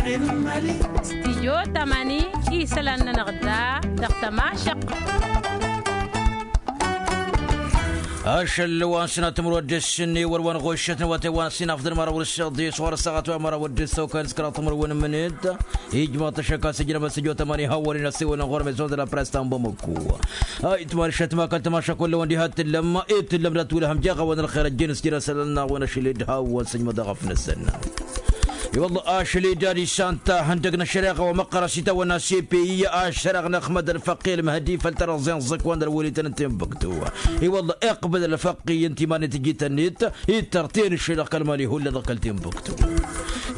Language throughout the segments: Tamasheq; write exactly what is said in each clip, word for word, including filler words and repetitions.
Stijyo tamani isălan-nănăɣ da dăɣ-tămašăq. Ašăl wa n-sănat timǝrwăt d-ǝssin i-wăr wa n-ɣoššăt n-awătay wa n-ăssinaf d-ălmăraw d-ǝssin d-iṣwăr ăssaɣăt wa n-măraw d-ǝssin okăl s-kăraḍ timǝrwen n-imǝned. Ijmaḍ-t ašăk a-s ǝjnăbăt sǝjjo tamani hawăn-in ăssiwălăn ɣur-mizon d-la press ta n-bamăku. Ayǝtman šătma kăl-tămaša kull-wăn diha t-tǝllăm i-tǝllăm dat-wǝlhăm jeɣ a-wen ălxer ăjjeen s-jere isălan-năɣ wen ašăl-dd hawăn-sǝjmădăɣ ăfnăsăn. I-wălla ašăl-i dad-isan tahăndăg n-ăššăreɣa wa măqqărăn s-itawănna s-e-pey ašăreɣ n-ăxmăd ălfăqqi ălmăhdi făll-tărăẓẓe n-ẓǝkwan d-ălwălităn n-tinbǝktu. I-wălla iqbǝd ălfăqqi ǝnta iman-net ǝjităn-net ittărten ǝššăy dăɣ-kăl-mali hullan dăɣ-kăl-tinbǝktu.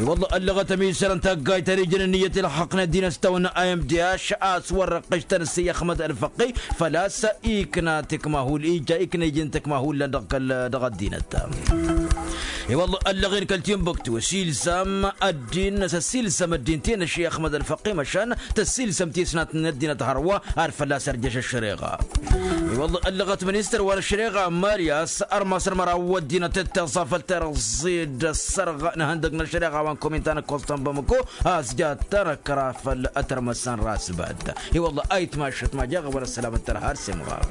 I-wălla ăllăɣăt ămisăr n-taggayt ărijăn ǝnniyăt ilxăqnen dinăs s-tawănna a m d h a-s wăr-răqqǝštăn ǝssǝy ăxmăd ălfăqqi făl-a-s ikna tǝkma hull ija ikna ijin tǝkma hullan dăɣ-kăl dăɣ-ăddinăt. I-wălla ăllăɣen kăl-tinbǝktu s-ilzam ăddin s-ăssiilsăm ăddin tenăšši ăxmăd ălfăqqi măšan tăssiilsăm tisnat n-ăddinăt hărwa ad-fălla-s ărjăš ăššăreɣa. I-wălla ăllăɣăt ministăr wa n-ăššăreɣa mali a-s ărmas ărmăraw ăddinăt ǝttăẓa făll-terăẓẓe d-ăssărɣ n-ihăndăg n-ăššăreɣa wa n-kominta n-ăkkoẓ ta n-bamăko a-s jattăn ăkra făll-ătrmăsăn rasbad. I-wălla ayǝtmašăt ma jaɣ ăwăr ăssălam ǝttărha ar s-imɣar.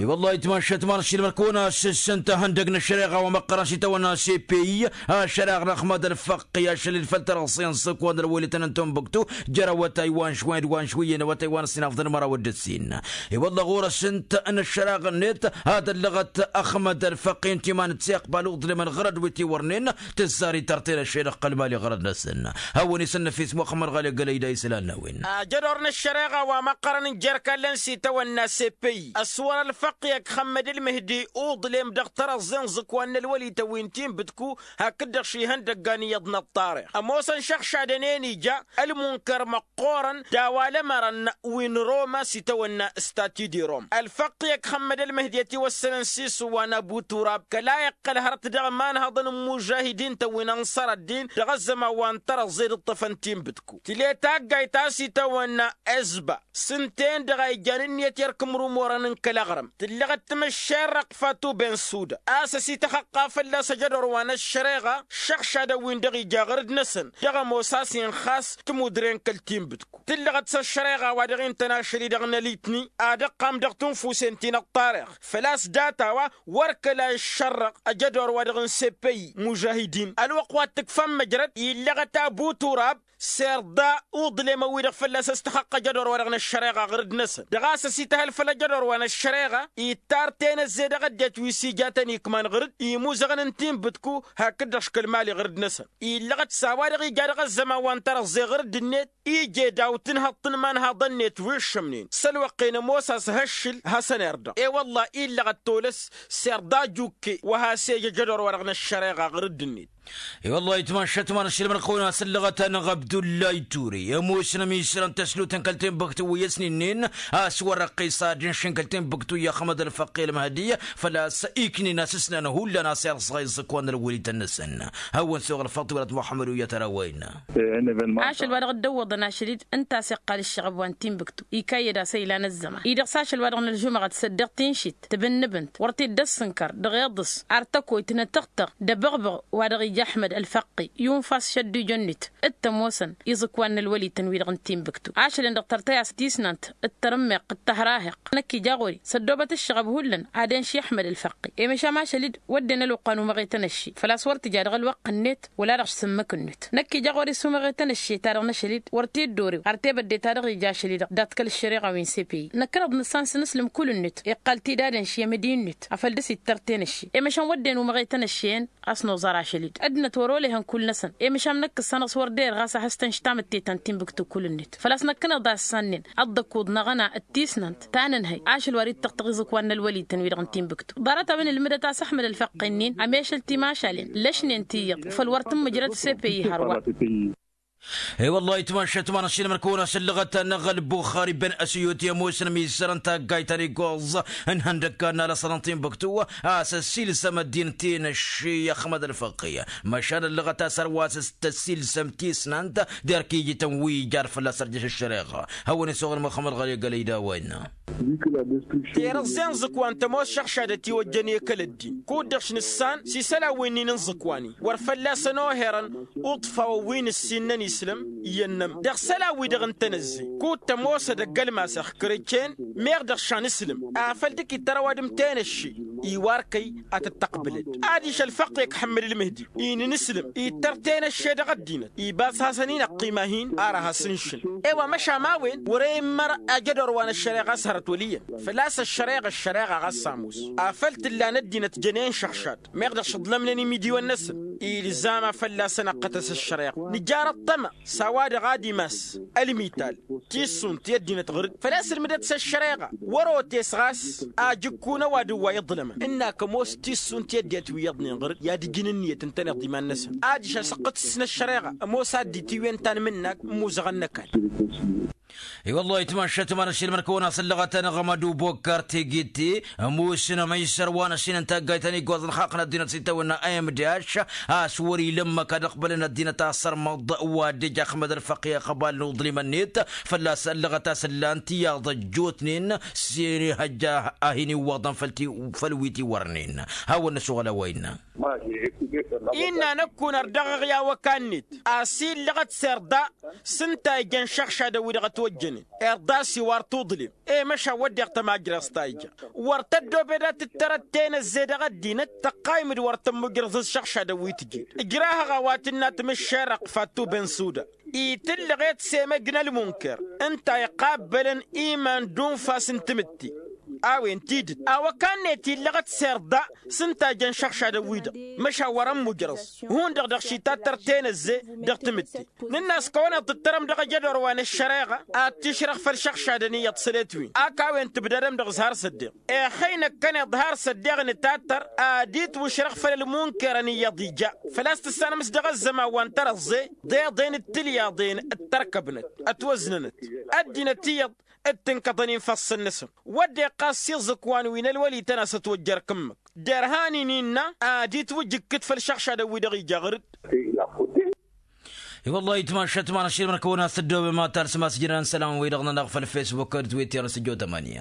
I-wălla ayǝtmašăt ma n-ăššilmăr kăwăn-asǝssǝn tahăndăg n-ăššăreɣa wa măqqărăn s-itawănna s-e-pey ašăreɣ n-ăxmăd ălfăqqi ašăl-dd făll-terăẓẓe n-sǝkwan d-ălwălităn n-tunbǝktu jer-awătay wa n-šwăyăn d-wa n-šwǝyyăn awătay wa n-ăssinafḍăn măraw d-ǝssin. I-wălla ɣur-s ǝnta n-ăššăreɣ-net ad-ăllăɣăt ăxmăd ălfăqqi ǝnta iman-net s-iqbal uḍlem ălɣărăd wi t-iwărnen tǝzzar itărten ăššăy dăɣ-kăl-mali ɣărăd-năsăn. Hawăn-isănnăfis muxămmăd ɣali ăggălăy d-a isălan n-a-wen. Ajădor n-ăššăreɣa wa măqqărăn n-jer-kallăn s-itawănna s-e-pey ăswăr ălfăqqi ăkxămmăd ălmǝhdi uḍlem dăɣ-tărăẓẓe n-iẓǝkwan n-ălwălităn wi n-tinbǝtku hakd-dăɣ šihăndăgga n-iyyăḍ n-ăṭṭarix ămoosăn šăɣšadăn-en ija ălmunkăr măqqoorăn d-a-wa l-ămărăn wi n-roma s-itawănna stati di rom ălfăqqi ăkxămmăd ălmǝhdi ătiwăssănăn s-isǝwwa n-abu turab kăla iqqăl hărăt dăɣ-imanhăḍăn n-imužahidin-tăn wi n-ănṣăr ăddin dăɣ-ăzzăman wa n-tărăẓẓe d-ǝṭṭăfăn tinbǝtku tǝle taggayt a-s itawănna ezba s-ǝnta-en-dăɣ a ijan ǝnniyăt i-ărk imrumorăn n-kăl-aɣrǝm tǝllăɣăt timǝššerrăɣt fatu ben suda a-s ăsităxăqqa fălla-s ăjădor wa n-ăššăreɣa šăɣšadăn wi-dăɣ ija ɣǝrǝd-năsăn dăɣ-ămoos a-s inxas timudre n-kăl-tinbǝtku tǝllăɣăt s-ăššăreɣa wa dăɣ-i n-tăn ašăl-i-dăɣ n-ălitni ad-ăqqam dăɣ-tunfusen ti n-ăṭṭarix făl-a-s data-wa wăr kăla iššărrăɣ ăjădor wa dăɣ-n sepăy mužahidin ălwăqq wa t-tǝkfăm măjrăd illăɣăt abu turab s-irḍa uḍlem ăwwi-dăɣ fălla-s ăstăxăqq ăjădor wa dăɣ-năššăreɣa ɣǝrǝd-năsăn dăɣ-a-s ăsităhăl făll-ăjădor wa năššăreɣa ittar tenăzzey dăɣ-ăddinăt wi s-ija tăn-ikman ɣǝrǝd imuzăɣăn n-tinbǝtku hakd-dăɣ škăl mali ɣǝrǝd-năsăn illăɣăt s-a-wa-dăɣ ija dăɣ-ăzzăman wa n-tărăẓẓe ɣǝrǝd-net ije daw-tǝnhăḍt n-imanhaḍăn-net wi ǝššămnen s-ălwăqq-en ămoos a-s hăššǝl hasăn-irda e-wălla illăɣăt tolăs s-irḍa ajukke wa has-ej ăjădor wa dăɣ-năššăreɣa ɣǝrǝd-net. I-wăllah itmašăt ma n-ašilmăn kăwăn-asǝllăɣăt-anăɣ abdullay ture ămoosnăm isălan tăslutăn kăl-tinbǝktu wi ăsninen a-s wăr-ăqqes ad-inšin kăl-tinbǝktu i-ăxmăd ălfăqqi ălmăhdi făl-a-s iknin asǝsnan hullan a-s irẓa iẓǝkwan n-ălwălităn-năsăn. Hawăn-suɣ ălfaḍt wălat muḥămmăd wi i-ad-tărawăyna. Ašăl wa dăɣ-dd-ăwwăḍăn ašăl-dd ǝnta a-s iqqal ǝššăɣăb wa n-tinbǝktu ikayyăd asăylan ăzzăman-i-dăɣ s-ašăl wa dăɣ-nălžumăɣăt săddeɣ tinšit tǝbǝnnǝbǝnt wăr t-dd-ăssǝnkăr dăɣ-iḍǝs ar tăkoyt n-atăɣtăɣ d-abăɣbăɣ wa dăɣ-ija ăḥmăd ălfăqqi yunfa s-šăddujo-net. T-ămoosăn iẓǝkwan n-ălwălităn-wi-dăɣ n-tinbǝktu ašălăn-dăɣ tărtăy-as tisnant d-tarǝmmeɣt d-tahraheɣt năkk ija ɣur-i s-ăddoobăt ǝššăɣăb hullan ad-enši ăḥmăd ălfăqqi i-măšan ašăl-dd wădden ălwăqq wa n-umăɣetăn ăšši făl-a-s wăr tǝja dăɣ-ălwăqq-net wăla dăɣ-sǝmmǝk-net năkk ija ɣur-i s-umăɣetăn ăšši ta dăɣ-năšăl-dd wăr t-dd-orew ar tebădde ta dăɣ-ija ašăl-i-dăɣ dat-kăl-ăššăreɣa wi n-sepăy năkkăneḍ nǝssan s-inǝslǝm kull-net iqqal-t-dd ad-enši i-amădi-net afăl dăr-s ittărten ăšši i-măšan wădden umăɣetăn ăšši-en a-s noẓar ašăl-dd ăddinăt wăr-olăhăn kull-năsăn i-măšan năkk ǝssanăɣ s-wăr derăɣ a-s ahăstăn štamǝtte ta n-tinbǝktu kull-net făl-a-s năkkăneḍ a ǝssannen ăḍḍăkuḍ n-aɣăna d-tisnant ta n-ǝnhăy ašăl wa d-ittăɣtăɣ iẓǝkwan n-ălwălităn-wi-dăɣ n-tinbǝktu ḍarăt-a-wen ǝlmǝdăt a-s ăḥmăd ălfăqqi-nin ămešăl timašalen lăšnen ti iyyăḍ făl wăr tǝmmǝjrăd s-epăyy hărwa. E-wăllah itmašat ma n-ašilmăn kăwăn-asǝllăɣăt n-aɣălbu xariben ăsiyut i-ămoosăn ămizărăn taggayt ta n-iggoẓ n-ihăndăggan n-alăsănăntin băktu a-s ăssiilsăm ăddinăt-in ăšši i-ăxmăd ălfăqi. Măšan ăllăɣăt a-s ărwas s-tăssiilsăm tisnant derk ijităn wi ijar fălla-s ărjăš ăššăreɣa. Hawăn-isuɣǝl muxămmăd ɣăli gălăydawăyna. Terăẓẓe n-iẓǝkwan tămoos šăɣšadăt i-wăjjăn i-kăl-ăddin kud-dăɣ š-nǝssan s-isălan wi n-inǝnẓǝkwan-i wăr fălla-săn oherăn uḍfawăn wi n-ǝssin n-ănislăm iyyăn-nămăr dăɣ-isălan-wi-dăɣ n-tenăzzey kud-tămoos edăgg ălmas ixkăr-ǝccen. Meɣ dăɣ-šanǝslǝm afăl dd-kitărăw ad-ǝmtăyăn ăšši iwar kăy ad-tǝttăqbǝlăd adiš ălfăqq i-ăkk ḥămmăd ǝlmǝhdi inǝnǝslǝm ittăr tenăšše dăɣ-ăddinăt ibas hasăn-in ăqqima-hin ar ad-has-ǝnšǝl. E-wa măšan ma-wen wăr-e immăr ajădor wa n-ăššăreɣa a-s hărăt wăl' iyyăn făl-a-s ăššăreɣa ăššăreɣa ɣas s-ămoos afăl t-ǝllan ăddinăt jănen šăɣšad. Meɣ dăɣ-s ǝḍlămnen imidiwăn-năsăn ilzam a fălla-săn ăqqătăs ăššăreɣa nǝjar ăṭṭăma s-a-wa-dăɣ ad-imas ălmital tissunt i-ăddinăt ɣǝr-dd făl-a-s ǝlmǝdăt s-ăššăreɣa wăr-otes ɣas ajǝkku n-ăwadǝm wa iḍlămăn ǝnn'-ak ămoos tissunt i-ăddinăt wi iyyăḍnen ɣǝr-dd i-ad-ǝjǝn ǝnniyăt ǝntăneḍ iman-năsăn. Adiš asǝqqǝt s-năššăreɣa ămoos ad-dd-itiwǝyăn tanmǝnnak n-imuzăɣăn n-ăkall. I-wăllah itmašat ma n-ašilmăn kăwăn-asǝllăɣăt anăɣmăd ubokar tegitti ămoosăn ămăysăr wa n-ăššinăn taggayt ta n-iggoẓăn xaqq n-ăddinăt s-itawănna a m d h a-s wăr-ila ǝmmăk ad-ăqbălăn ăddinăt asărmăḍ wa dd-ija ăxmăd ălfăqi ăxbal n-uḍlim-net fălla-s ăllăɣăt a-s ǝllan tiyyăḍ ăjjootnen s-ihăjja a hin-iwwăḍăn făll-wi tiwărnen. Hawăn-năsuɣăl a-wa innă. Innă năkkun ărdăɣăɣ i-awăka-net a-s illăɣăt s-irḍa s-ǝnta ijăn šăɣšadăn-wi-dăɣ ătwăjjănen irḍa s-iwar tuḍlem. I-măšan wădden tămajrăẓt ta ija wăr tăddobed ad-tǝttărăt tenăzzey dăɣ-ăddinăt tăqqaym-dd wăr tămmujrăẓ s-šăɣšadăn wi tǝjed. Ǝjrahăɣ a-wa tǝnna tmǝššerăɣ fatu bensuda itǝllăɣet s-emăj n-ălmunker ǝnta iqabbălăn iman d-unfas n-timǝtte. A-wen tidǝt awăka-net illăɣăt s-irḍa s-ǝnta jăn šăɣšadăn-wi-dăɣ măšan wăr-ămmujrăẓ hundăɣ dăɣ-šitattăr tenăzze dăɣ-timǝtte. Nǝnn'-as kăwăneḍ tǝttărăm dăɣ-ejădor wa n-ăššăreɣa ad-t-išrăɣ făll-išăɣšadăn iyyăḍ sălet-win ak a-wen tǝbdadăm dăɣ-s har s-ăddeɣ. Ixăynăkkăneḍ har s-ăddeɣ nǝtattăr ad-itwǝšrăɣ făll-ălmunkerăn iyyăḍ ija făl-a-s tǝssanăm s-dăɣ-ăzzăman wa n-tărăẓẓe d-eḍen d-tilyaḍen d-tărkăbnăt ătwăznănăt ăddinăt iyyăḍ d-tǝnkăḍăn infăssăn-năsăn. Wădden ɣas s-iẓǝkwan wi n-ălwăli-tăn a-s ătwăjjăr kǝmmǝk derhan-in innă ad-itwǝjǝkkǝt făll-išăɣšadăn-wi-dăɣ ija ɣǝr-dd. I-wăllah itmašat ma n-ašilmăn kăwăn-asǝddobem ad-talsăm asǝjǝdăn isălan-wi-dăɣ-nănăɣ făll-fesbuk d-twitter s-ǝjjo tămani.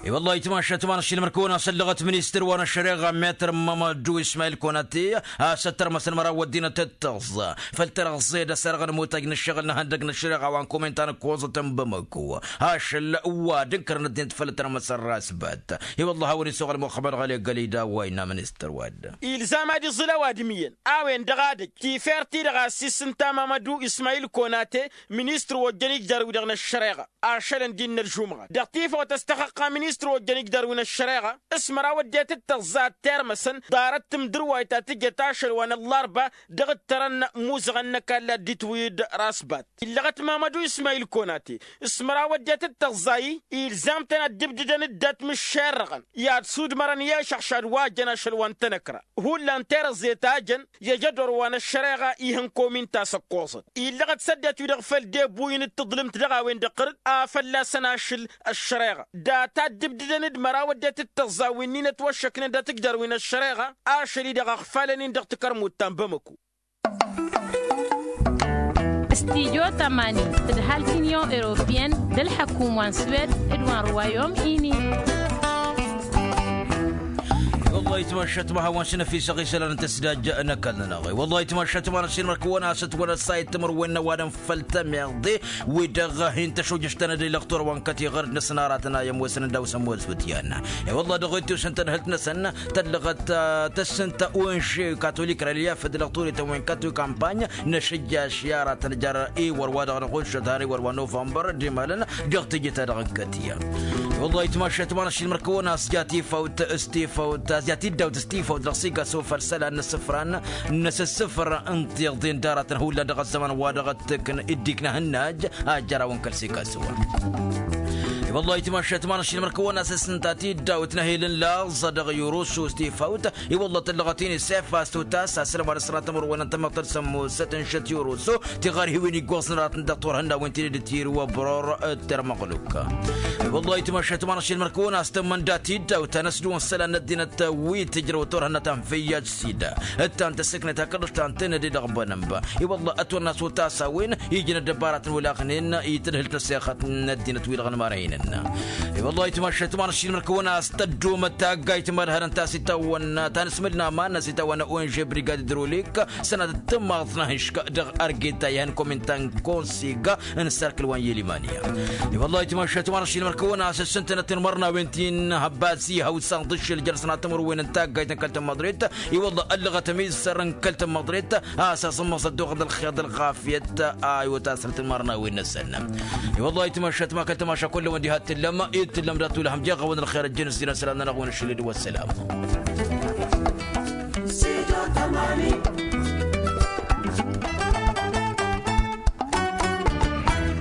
I-wăllah itmašat ma n-ašilmăn kăwăn-asăllăɣăt ministăr wa n-ăššăreɣa metr mamadu ismail konate a-s ăttărmăsăn măraw ăddinăt d-tăẓẓa făll-tărăẓẓe d-ăsărăɣ n-imutăj n-ǝššăɣǝl n-ihăndăg n-ăššăreɣa wa n-kuminta n-ǝkkoẓăt n-bamăko ašăl wa d-ǝnkărăn ăddinăt făll-tărmăsăn rasbăt. I-wăllah a-wen isuɣǝl muxămmăd ɣăli gălida wa innă ministăr wa-dd. Ilzam ad-iẓǝl ăwadǝm iyyăn a-wen-dăɣ ad-ăj tifer-ti-dăɣ a-s isǝnta mamădu ismayil konate ministăr wa ojjăn ijdar-wi-dăɣ n-ăššăreɣa ašălăn d-innă ălžumɣat dăɣ-tifawt a-s tăxăqqa ministăr wa ojjăn ijdar-wi n-ăššăreɣa s-măraw ăddinăt d-tăẓẓa ad-termăsăn ḍarăt timdǝrwayt ta tǝjăt ašăl wa n-ăllarba dăɣ-ǝttărăn imuzăɣăn n-ăkall ad-dd-itwǝy d-rasbat. Illăɣăt mamădu ismayil konate s-măraw ăddinăt d-tăẓẓa-i ilzam-tăn ad-dd-ǝbdǝdăn dd-atmǝššerrăɣăn i-ad-sudmărăn i-ašăɣšad wa jăn ašăl wa n-tanăkra hullan terăẓẓe ta jăn i-ajădor wa n-ăššăreɣa ihăn komin ta s-ăkkoẓăt. Illăɣăt s-ăddinăt-wi-dăɣ făll-debuyǝn d-tǝḍlǝmt dăɣ-a-wen-dăɣ ɣǝr-dd a fălla-săn ašăl ăššăreɣa data dd-ǝbdǝdăn d-măraw ăddinăt d-tăẓẓa wi-nin ătwăššăknen dat-ǝjdar wi n-ăššăreɣa ašăl-i-dăɣ ăɣfalăn-in dăɣ-tikărmut ta n-bamăko. Studyo tămani d-ăhalk n-inyon europiyăn d-ălḥăkum wa n-swed d-wa n-ruwayom ini. Wăllah itmašat ma hawăn-s năfisăɣ isălan n-tăsdaj n-ăkall-nănăɣ. Wăllah itmašat ma n-ăsinmăr kăwăn-asăt wăla ăssayăt timǝrwen n-ăwadǝm făll-temeḍe wi-dăɣ hin-tăšojăš tanădăy lăɣtur wa n-kătiɣăr d-năsnaratăn a i-ămoosăn ăndaw s-ămoos wǝtyan. I-wălla dăɣ-ittus n-tadhǝlt-năsăn tăllăɣăt tăssǝntă unše katolik relyef d-lăɣturităn wi n-katolik kampany. Năšăjjaš i-aratăn jar iwăr wa dăɣ-năɣušăt har iwăr wa novămbăr d-imalăn dăɣ-tijǝt-ta-dăɣ n-kătya. I-wălla itmašat ma n-ašilmăr kăwăn-asja tifawt s-tifawt azja tiddawt s-tifawt dăɣ-sigaso făll-isălan n-asǝfran n-asǝssǝfăr n-tiḍen d-aratăn hullan dăɣ-ăzzăman wa dăɣ-ăttǝkn dd-ikna hǝnnaj. Ajjăraw n-kăl-sigaso. Wăllah itmašat ma n-ašilmăr kăwăn-as s-ǝnta tiddawt n-ehel n-laẓ dăɣ-yurus s-tifawt. I-wăllah tăllăɣăt-in isef a-s tutas asălămad s-sănatămăr-wen n-tamăḍt d-sămmosăt n-šăt yurus. Tiɣarhiwen iggoẓ n-aratăn dăɣ-turhănnawen tinǝdǝt irwăbror d-termăɣluk. I-wăllah itmašat ma n-ašilmăr kăwăn-as tămmănda tiddawt a n-ăsdǝwăn isălan n-ăddinăt wi tǝjrăw turhănnăt anfăyyaj sida. Ǝttan tăssǝknet hakd ǝštan tănăde dăɣ-bănămba. I-wălla ătwănna s-utas a-wen ijnăt dăbbaratăn wălaɣnen i-tadhǝlt n-ăssexăt n-ăddinăt wi-dăɣ n-imărhăynen. I-wălla itmašat ma n-ašilmăr kăwăn-as tăddumăt taggayt mad-hărăn ta s-itawănna ta n-asmǝl n-aman n-as-itawănna onže brigad idrolik. Sănatăt tǝmmaḍt n-ahǝšk dăɣ-argeta ihăn komintan konsiga n-sărkǝl wa n-yelimania. I-wălla itmašat ma n-ašilmăr kăwăn-as s-ǝntănăt n-imărnawen ti n-hăbbas ihăw s-anḍǝššǝl jer-sănatămăr-wen n-taggayt n-kăl-tămmaḍret. I-wălla ăllăɣăt ămizăr n-kăl-tămmaḍret. A-s aẓǝmmăẓ ăddoɣăḍ ălxer d-ălɣafyăt a iwăt asrăt n-imărnawen-năsăn. I-wălla itmašat ma kăl-tămaša kull-ăwăn diha t-tǝllăm i-t-tǝllăm dat-ulhăm jeɣ-awăn ălxer ăjjăn s-dinăslan-nănăɣ-wen ăššăled wa ăssălam.